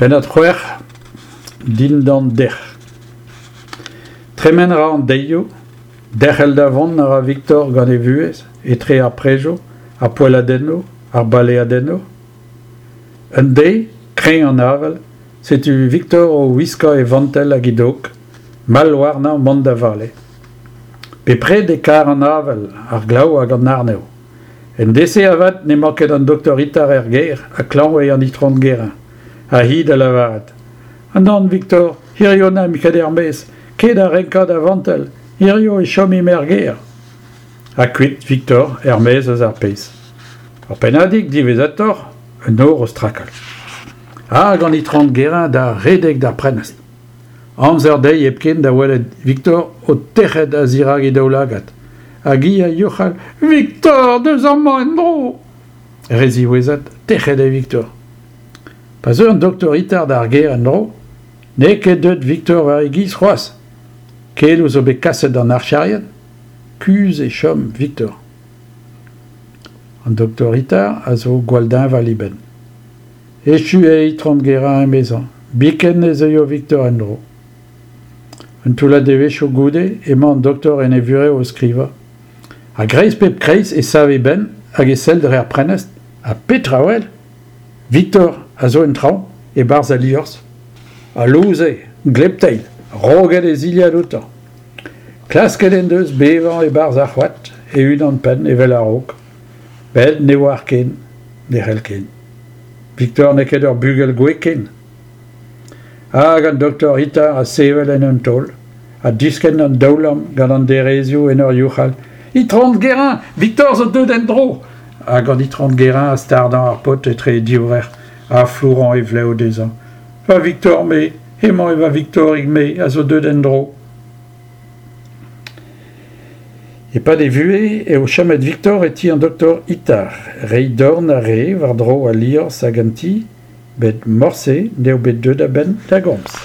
Pennad 6, Dindan dec'h. Tremen a ra an deizioù, derc'hel da vont a ra Viktor gant e vuhez etre ar prejoù, ar poelladennoù, ar baleadennoù. Un deiz, kreñv an avel, setu Viktor o wiskañ e vantell hag e dog, mall warnañ mont da vale. Bepred e kar an avel, ar glav hag an arnev. En deiz-se avat n'emañ ket an doktor Itard er gêr ha klañv eo an itron Guérin. Ha hi da lavaret Nann, Viktor, hirio n'aimp ket er-maez, ket da renkañ da vantell, hirio e chomimp er gêr. Ha kuit Viktor er-maez eus ar pezh. Ur pennadig diwezhatoc'h, un nor o strakal. Hag an itron Guérin da redek d'ar prenestr. Amzer dezhi hepken da welet Viktor o tec'het a-zirak he daoulagad. Hag hi a youc'hal Viktor, deus amañ en-dro ! Re ziwezhat, tec'het eo Viktor. Pa zeu an doktor Itard d'ar gêr en-dro, n'eo ket deuet Viktor war e giz c'hoazh. Keloù zo bet kaset d'an archerien. Kuzh e chom Viktor. An doktor Itard a zo gwall deñval e benn. Echu eo Itron Guérin emezañ, biken ne zeuio Viktor en-dro. Un toullad devezhioù goude emañ an doktor en e vurev o skrivañ. A-greiz pep kreiz e sav e benn hag e sell dre ar prenestr ha petra 'wel? Viktor a zo en traoñ, e-barzh al liorzh. Ha lous eo, gleb-teil, roget e zilhad outañ. Klasket en deus bevañ e-barzh ar c'hoad, e-unan-penn evel a-raok. Met ne oar ken, ne c'hell ken. Viktor n'eo ket ur bugel gouez ken. Hag an doktor Itard a sevel en un taol, ha diskenn an daoulamm gant an derezioù en ur youc'hal Itron Guérin, Viktor zo deuet en-dro ! Hag an Itron Guérin a stardañ ar paotr etre e divrec'h ha flourañ e vlev dezhañ. Va Viktor-me, hemañ eo va Viktorig-me a zo deuet en-dro. E-pad e vuhez eo chomet Viktor e ti an doktor Itard. Reiñ dorn a rae war-dro al liorzh hag an ti, met morse n'eo bet deuet a-benn da gomz.